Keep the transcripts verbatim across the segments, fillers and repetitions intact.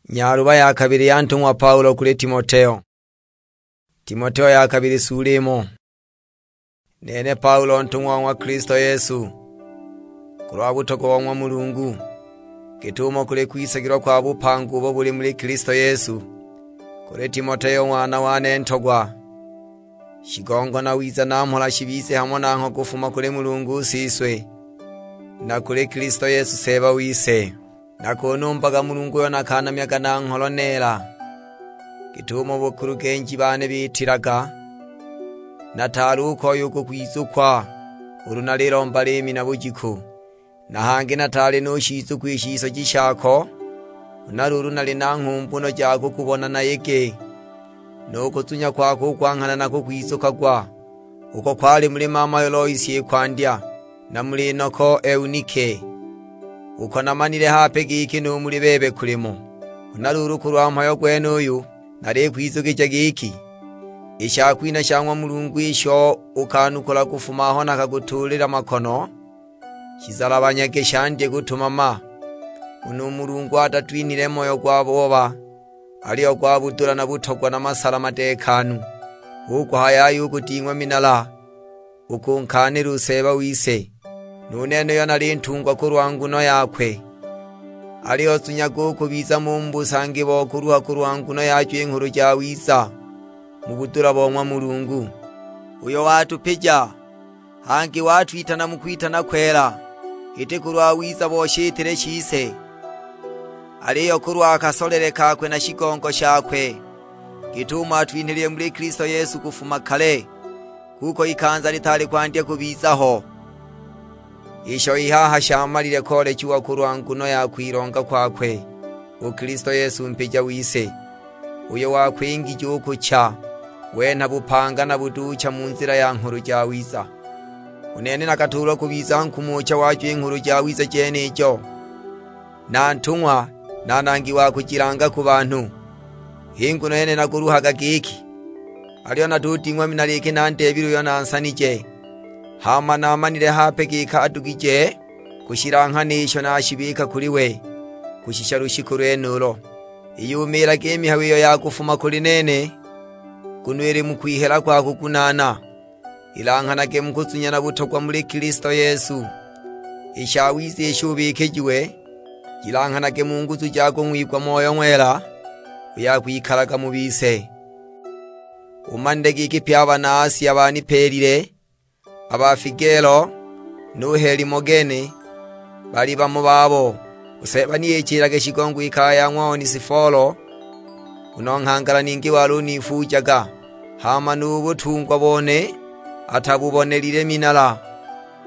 Nyaluba ya kabili ya ntung'wa Paulo kuli Timoteo. Timoteo ya kabili sula imo. Nene Paulo ntung'wa wa ng'wa Kilisto Yesu, kulwa butogwa bo ng'wa Mulungu, git'umo kuli kwisagilwa kwa bupanga ubo buli muli Kilisto Yesu, kuli Timoteo ng'wana wane ntogwa. Shigongo na wiza na mhola shibize hamo nangho kufuma kuli Mulungu Siswe, na kuli Kilisto Yesu Seeba wise. Nakunumbaga Mulungu uyo nakanamyaga na ngholo neela, git'umo bukulugenji bane bitilaga, nataali u koya u kukwizukwa ulu nalilomba liimi na bujiku. Na hangi nataali nushizukwa i shisoji shako, huna luulu nali na nghumbuno ja kukubona nayege, nu kuzunya kwako u kwa nghana na kukwizukagwa, uko kwali muli mamayo Loisi i kwandya, na muli noko Eunike, uko namanile hape giki nu muli bebe kulimo. Huna luulu kulwa mhayo gwenuyu nalikwizukija giki, i shakwinha sha ng'wa Mulungu isho ukanukula kufuma aho nakakutuulila makono, shizalabanyage shandye kutumama. Nguno u Mulungu atatwinhile moyo gwa booba, aliyo gwa budula na butogwa na masala madeekanu. Hu kuhaya ayo u kuding'wa minala, u kunkaanila u Seeba wise, nu nene uyo nali ntungwa kulwa nguno yakwe. Aliyo zunyaga u kubiza mo mu busangi bo kuluha kulwa nguno yajo i Nghulu Jawiza, mu budula bo ng'wa Mulungu, uyo watupija, hangi watwitana mu kwitana kwela, iti kulwa wiza bo shitile shise, aliyo kulwa kasolele kakwe na shigongo shakwe, git'umo atwinhilile muli Kilisto Yesu kufuma kale, kuko ikanza litaali kwandya kubiza ho. Isho i haha shamalile koolechiwa kulwa nguno ya kwilonga kwakwe u Kilisto Yesu Mpija wise, uyo wakwingija u kucha, wenha bupanga na buduucha mu nzila ya Nghulu Jawiza. U nene nakatuulwa kubiza nkumucha wajo i Nghulu Jawiza jenijo, na ntung'wa, na nangi wa kujilanga ku banhu. H'i nguno yene nakuluhaga giki, aliyo natuding'wa minala iki nandeebile uyo nansanije, hama namanile hape giki adugije kushilanghana isho nashibika kuli we, kushisha lushiku lwenulo. Iyumiilage i mihayo iyo ya kufuma kuli nene, nguno ili mu kwihela kwa kugunaana. Ilanghanage mu kuzunya na butogwa muli Kilisto Yesu. I shawiza isho ubikijiwe, jilanghanage mu nguzu ja kung'wigwa Moyo Ng'wela, uyo akwikalaga mu bise. Umanile giki pye a bana Asia banipeelile, a ba Figelo, nu Helimogene, bali bamo babo. U Seeba ni ichilage shigongo i kaya ya ng'wa Onesifolo, nguno nghangala ningi wali unifuujaga, hama nu butungwa bone atabubonelile minala.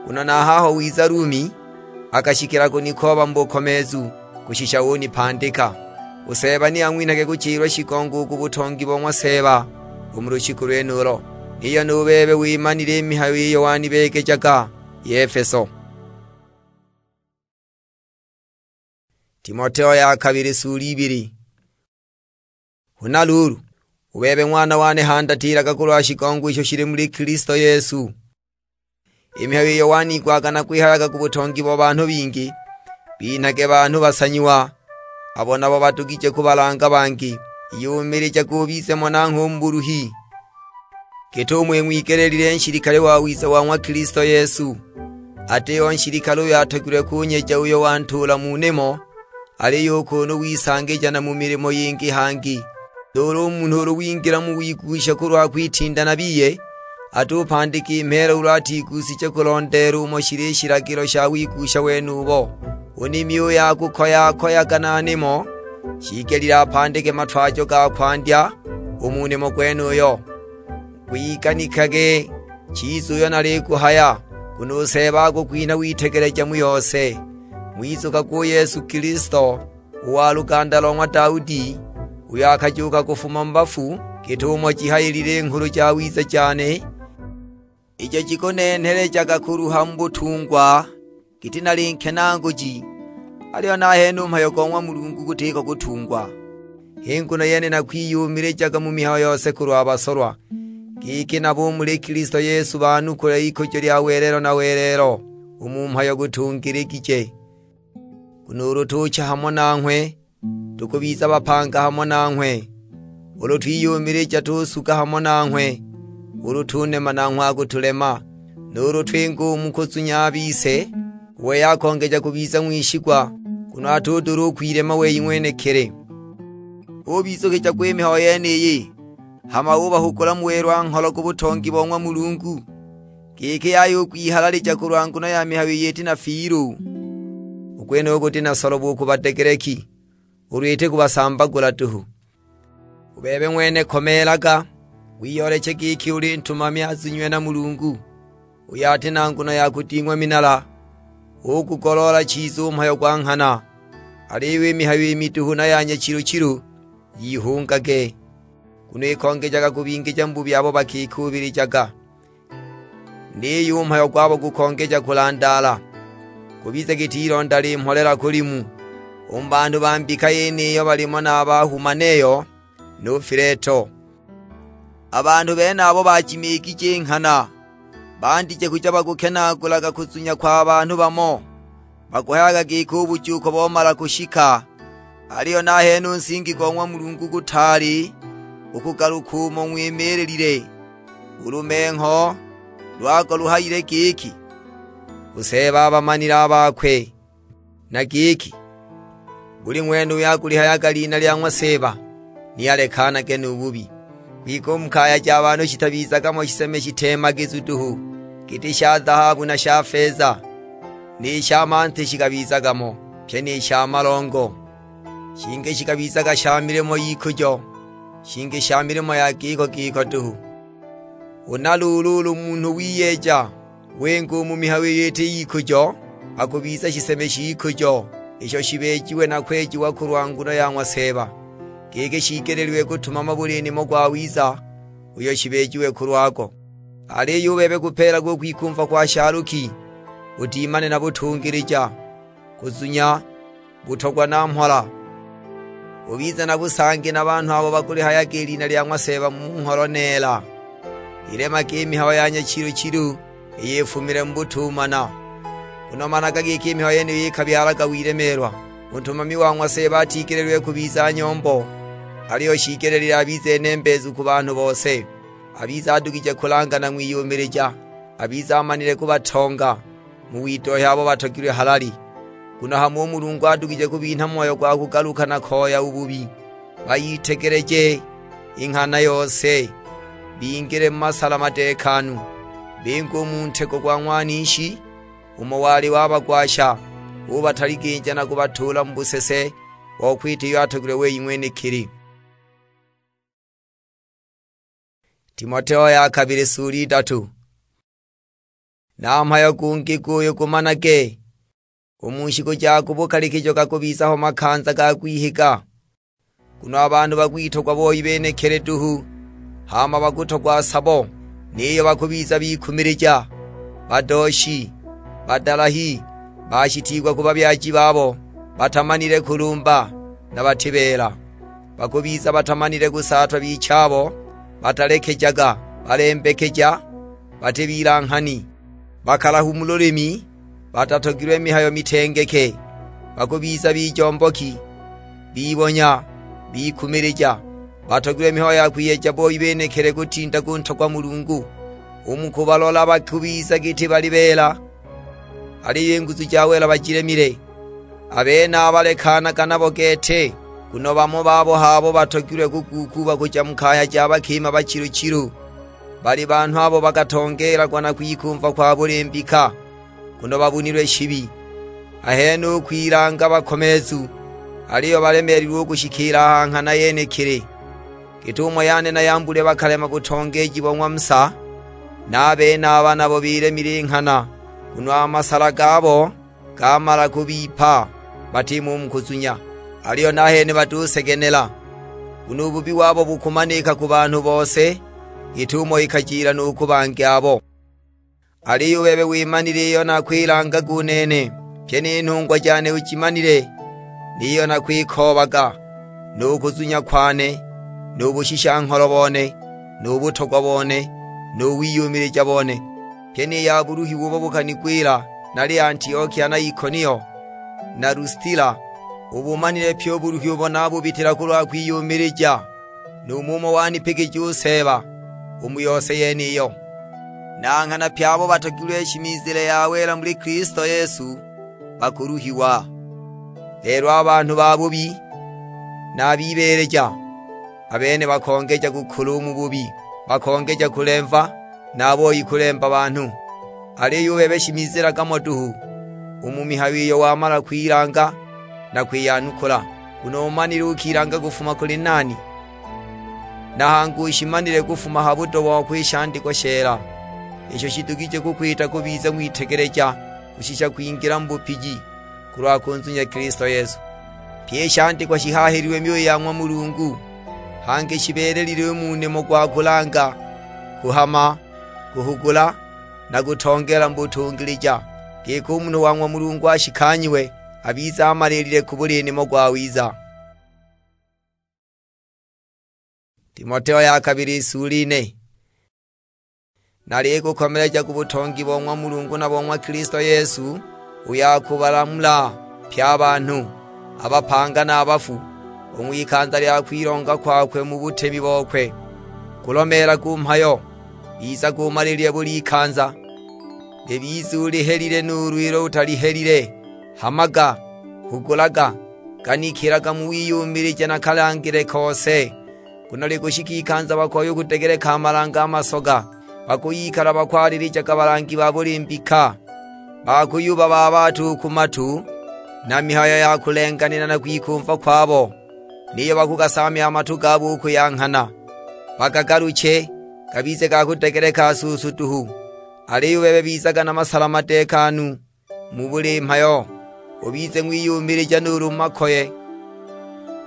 Nguno na haho wiza Lumi, akashikila kunikooba mu bukomeezu, kushisha unipandika. U Seeba ni ang'winhage kuchilwa shigongo u ku butongi bo ng'wa Seeba u mu lushiku lwenulo. Niyo nu bebe wimanile i mihayo iyo wanibeegejaga i Efeso. Timoteo ya kabili sula ibili. Huna luulu, u bebe ng'wana wane handatiilaga kulwa shigongo isho shili muli Kilisto Yesu. I mihayo iyo waniigwaga nakwihayaga ku butongi bo banhu bingi, binhage banhu basanyiwa, abo nabo badugije kubalanga bangi. Iyumilijaga ubize mo nangho u mu buluhi, git'umo ing'wigeleelile nshilikale wawiza wa ng'wa Kilisto Yesu, atiho nshilikale uyo atogilwe kunyeja uyo wantuula mu nimo, aliyo u kunu wisangija na mu milimo yingi hangi. Nuulu u munhu ulu wingila mu wigusha kulwa kwitinda na biye, atupandika i mheela ulu atiguusije kulondeela umo shili i shilagilo sha wigusha wenubo. U nimi uyo akukoya-koyaga na nimo, shiigelile apandike matwajo ga kwandya u mu nimo gwenuyo. Gwiganikage chiza uyo nalikuhaya, nguno u Seeba akukwinha witegeleja mu yose. Ng'wizukagwe u Yesu Kilisto, u wa luganda lo ng'wa Daudi, uyo akajuuka kufuma mu bafu, git'umo jihayilile i Nghulu Jawiza jane, ijo jikunenhelejaga kuluha mu butungwa, giti nali nkenaanguji, aliyo nahene u mhayo go ng'wa Mulungu gutiko kutungwa. H'i nguno yene nakwiyumilijaga mu mihayo yose kulwa basolwa, giki nabo u muli Kilisto Yesu banukule ikujo lya welelo na welelo u mu mhayo gutungiligije. Nguno ulu tucha hamo nanghwe, tukubiza bapanga hamo nanghwe. Ulu twiyumilija tusuga hamo nanghwe, ulu tunema nanghwe akutulema, nuulu twinga u mu kuzunya a bise, u wei akongeja kubiza ng'wishigwa, nguno atudula u kwilema wei ng'wenekili. Ubizukija gwa i mihayo yeniyi, hama ubahugula mu welwa-ngholo ku butongi bo ng'wa Mulungu, giki yaya u kwihalalija kulwa nguno ya mihayo iyo iti na fiilu. U gwenuyu guti na solobo u ku badegeleki, ulu iti kubasambagula duhu. U bebe ng'wene komeelaga, wiyooleche giki uli ntumami azunyiwe na Mulungu, uyo ati na nguno ya kuding'wa minala, ugugoloola chiza u mhayo gwa nghana. Aliyo i mihayo i miduhu na ya nyachilu-chilu yihungage, nguno ikongejaga kubingija mu bubi abo bakikuubilijaga. Niyo u mhayo gwabo gukongeja kulandaala, gubize giti ilonda limholela ku limu, u mu banhu ba mbika yeniyo balimo na a ba Humaneyo nu Fileto. A banhu benabo bajimigije i nghana, bandije kuja bakukenaagulaga kuzunya kwa banhu bamo, bakuhayaga giki u bujuuko bomala kushika. Aliyo nahene u nsingi go ng'wa Mulungu gutaali u kugaluka umo ng'wimiililile. U lumengho lwago luhayile giki, "U Seeba abamanile a bakwe," na giki, "Buli ng'wene uyo akulihayaga lina lya ng'wa Seeba, ni alekanage nu bubi." Kwike u mu kaya ja banhu shitabizaga mo shiseme shitemagizu duhu, giti sha zahabu na sha feza, ni sha manti shikabizaga mo, pyi ni sha malongo. Shingi shikabizaga sha milimo y'ikujo, shingi sha milimo ya giko giko duhu. Huna luulu ulu munhu wiyeeja wenga u mu mihayo iyo iti y'ikujo, akubiza shiseme sh'ikujo, isho shibeejiwe na kwejiwa kulwa nguno ya ng'wa Seeba, giki shiigelilwe kutumama buli nimo gwawiza uyo shibeejiwe kulwago. Aliyo u bebe kupeelagwa u kwikumva kwa shaluki, udimane na butungilija, kuzunya, butogwa na mhola. Ubize na busangi na banhu abo bakulihayaga i lina lya ng'wa Seeba mu ngholo neela. Ilemage i mihayo ya nyachilu-chilu iyo ifumile mu butumana, nguno managa giki i mihayo yeniyo ikabyalaga wilemeelwa. U ntumami wa ng'wa Seeba atigelilwe kubiza nyombo, aliyo shiigelile abize nembeezu ku banhu bose. Abize adugije kulanga na ng'wiyumilija, abize amanile kubatonga mu widohya abo batogilwe halali. Nguno hamo u Mulungu adugije kubinha moyo gwa kugaluka na koya u bubi. Bayitegeleje i nghana yose, bingile mu masala madeekanu, binge u mu ntego gwa ng'wanishi, umo wali wabagwasha, ubataliginja na kubatuula mu busese bo kwita iyo atogilwe wei ng'wenekili. Timoteo ya kabili sula idatu. Na mhayo gungi guyu gumanage, u mu shiku ja ku bukalikijo gakubiza ho makanza ga kwihiga. Nguno a banhu bakwitogwa boi benekili duhu, hama bakutogwa sabo, niyo bakubiza bikumilija, badooshi, badalahi, bashitiigwa ku babyaji babo, batamanile kulumba, na bati beela. Bakubiza batamanile kusaatwa bichabo, batalekejaga, balembekeja, bati bilanghani, bakalahu mu lulimi, batatogilwe mihayo mitengeke. Bakubiza bijomboki, bibonya, bikumilija, batogilwe mihayo ya kwiyeja boi benekili kutinda kuntogwa Mulungu. U mu kubalola bakubiza giti bali beela, aliyo i nguzu ja wela bajilemile. A benaba lekanaga nabo gete, nguno bamo babo h'abo batogilwe kuguukuuba kuja mu kaya ja bakima bachilu-chilu. Bali banhu abo bakatongeelagwa na kwikumva kwa buli mbika, nguno babunilwe shibi. Ahene u kwilanga bakomeezu, aliyo balemeelilwe u kushikiila a ha nghana yenekili. Git'umo Yane na Yambule bakalema butongeeji bo ng'wa Musa, na a benaba nabo bilemile i nghana, nguno a masala gabo gamala kubipa, batimo u mu kuzunya. Aliyo nahene batusegenela, nguno u bubi wabo bukumanika ku banhu bose, git'umo ikajila nu ku bangi abo. Aliyo u bebe wimanile iyo nakwilangaga u nene, pyi ni nhungwa jane ujimanile, niyo nakwikoobaga, nu kuzunya kwane, nu bushisha-ngholo bone, nu butogwa bone, nu wiyumilija bone. Pyi ni ya buluhiwa ubo bukanigwila nali Antiokia na Ikonio, na Lustila, Ubumanile pyi u buluhi ubo nabubitila kulwa kwiyumilija, numho umo wanipigija u Seeba u mu yose yeniyo. Na nghana pye abo batogilwe shimizile ya wela muli Kilisto Yesu bakuluhiwa. Lelo a banhu babubi na a bibeeleja, a bene bakongeja kukula u mu bubi, bakongeja kulemva, na a boi kulemba banhu. Aliyo u bebe shimizilaga mo duhu u mu mihayo iyo wamala kwilanga na kwiyanukula, nguno umanile ukilanga kufuma kuli nani, na hangi ushimanile kufuma ha budo bokwe i shandikwa sheela, isho shidugije kukwita kubiza ng'witegeleja kushisha kwingila mu bupiji, kulwa kunzunya Kilisto Yesu. Pyi i shandikwa shihaahililwe myoyo ya ng'wa Mulungu, hangi shibeelelilwe u mu nimo gwa kulanga, kuhama, kuhugula, na kutongeela mu butungilija, giki u munhu wa ng'wa Mulungu ashikanyiwe, abize amaliilile ku buli nimo gwawiza. Timoteo ya kabili, i sula ine. Nalikukomeleja ku butongi bo ng'wa Mulungu na bo ng'wa Kilisto Yesu, uyo akubalamula pye a banhu, a bapanga na a bafu, u ng'wikanza lya kwilonga kwakwe mu butemi bokwe. Gulomeelaga u mhayo, bizaga umalilile buli ikanza. Libize ulihelile nuulu ilo utalihelile, hamaga, hugulaga, ganikilaga mu wiyumilija na kalangile kose. Nguno likushika ikanza bakoya u kudegeleka a malange a masoga, bakuyikala bakwalilijaga balangi ba buli mbika, bakuyubabaabata u ku matu na mihayo ya kulenganila na kwikumva kwabo, niyo bakugasaamya a matu gabo u kuyanghana. Bagagaluche, gabize ga kudegeleka suusu duhu, aliyo u bebe bizaga na masala madeekanu mu buli mhayo, ubize ng'wiyumilija nuulu mu makoye.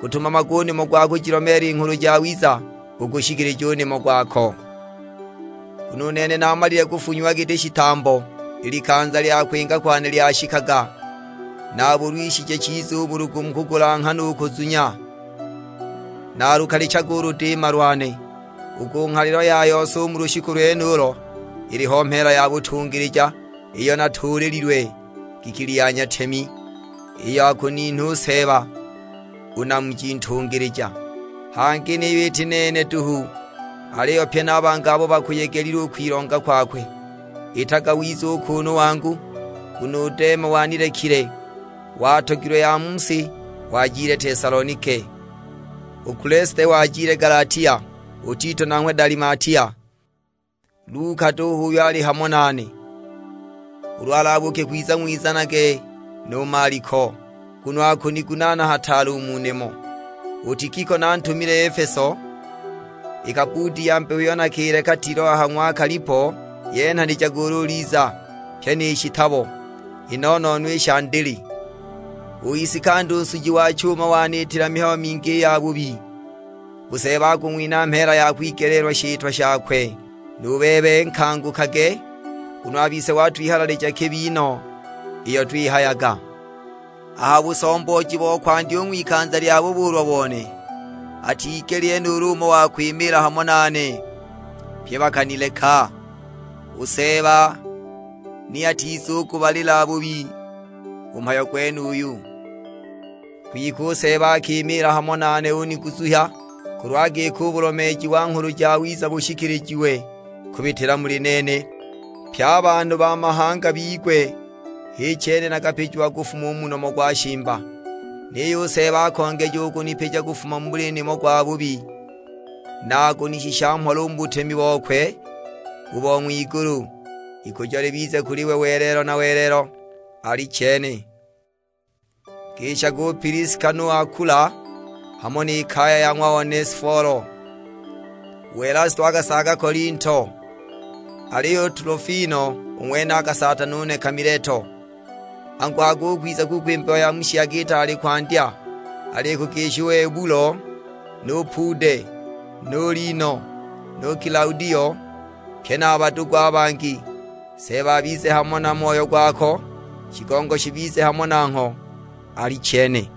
Gutumamaga u nimo gwa kujilomeela i Nghulu Jawiza, ukushikilija u nimo gwako. Nguno u nene namalile kufunyiwa giti shitambo, i likanza lya kwinga kwane lyashikaga. Nabulwishije chiza u bulugu mu kugulanghana u kuzunya. Nalukalichaga u ludima lwane, u ku nghalilo ya yose u mu lushiku lwenulo iliho mheela ya butungilija, iyo natuulililwe giki lyanya-temi, iyo akuninha u Seeba, u Namuji ntungilija. Hangi niyo iti nene duhu, aliyo pye na a bangi abo bakuyegelilwe u kwilonga kwakwe. Itaga wiza u kuunu wangu, nguno u Dema wanilekile, watogilwe ya mu si, wajile Tesalonike. U Kulesite wajile Galatia, u Tito nanghwe Dalimatia. Luka duhu uyo ali hamo nane, ulu alabuuke kwiza ng'wizanage nu Maliko, nguno akunigunaana hataale u mu nimo. U Tikiko nantumile Efeso, i kabuuti ya mbeho iyo nakileka Tilo a ha ng'wa Kalipo, yenhanijaga ulu uliza, pye ni shitabo, i nonono i sha ndili. U Isikanda u nsuji wa chuma waniitila mihayo mingi i yabubi. U Seeba akung'winha mheela ya kwigeleelwa shitwa shakwe. Nu bebe nkangukage, nguno a bise watwihalalija kibi no iyo twihayaga. A ha busombooji bo kwandya u ng'wikanza lya bubuulwa bone, atigelile nuulu umo wa kwimiila hamo nane, pye bakanileka. U Seeba ni atizugubalila bubi u mhayo gwenuyu. Kwike u Seeba akimiila hamo nane uniguzuhya, kulwa giki u bulomeeji wa Nghulu Jawiza bushikilijiwe kubitila muli nene, pye a banhu ba mahanga bigwe. H'i chene nakapijiwa kufuma u mu nomo gwa shimba, niyo u Seeba akongeja u kunipija kufuma mu buli nimo gwa bubi, na akunishisha mhola u mu butemi bokwe u bo ng'wigulu. Ikujo libize kuli we welelo na welelo. Alichene. Gishaga u Piliska nu Akula, hamo ni kaya ya ng'wa Onesifolo. U Elasto akasaaga Kolinto, aliyo u Tulofimo u ng'wene akasaata nune ka Mileto. Angu, akukwiza kukwimbiwa ya mu shiyaga itaali kwandya, alikugisha u Ebulo, nu Pude, nu Lino, nu Kilaudio, pye na a badugu a bangi. Seeba abize hamo na moyo gwako, shigongo shibize hamo nangho. Alichene.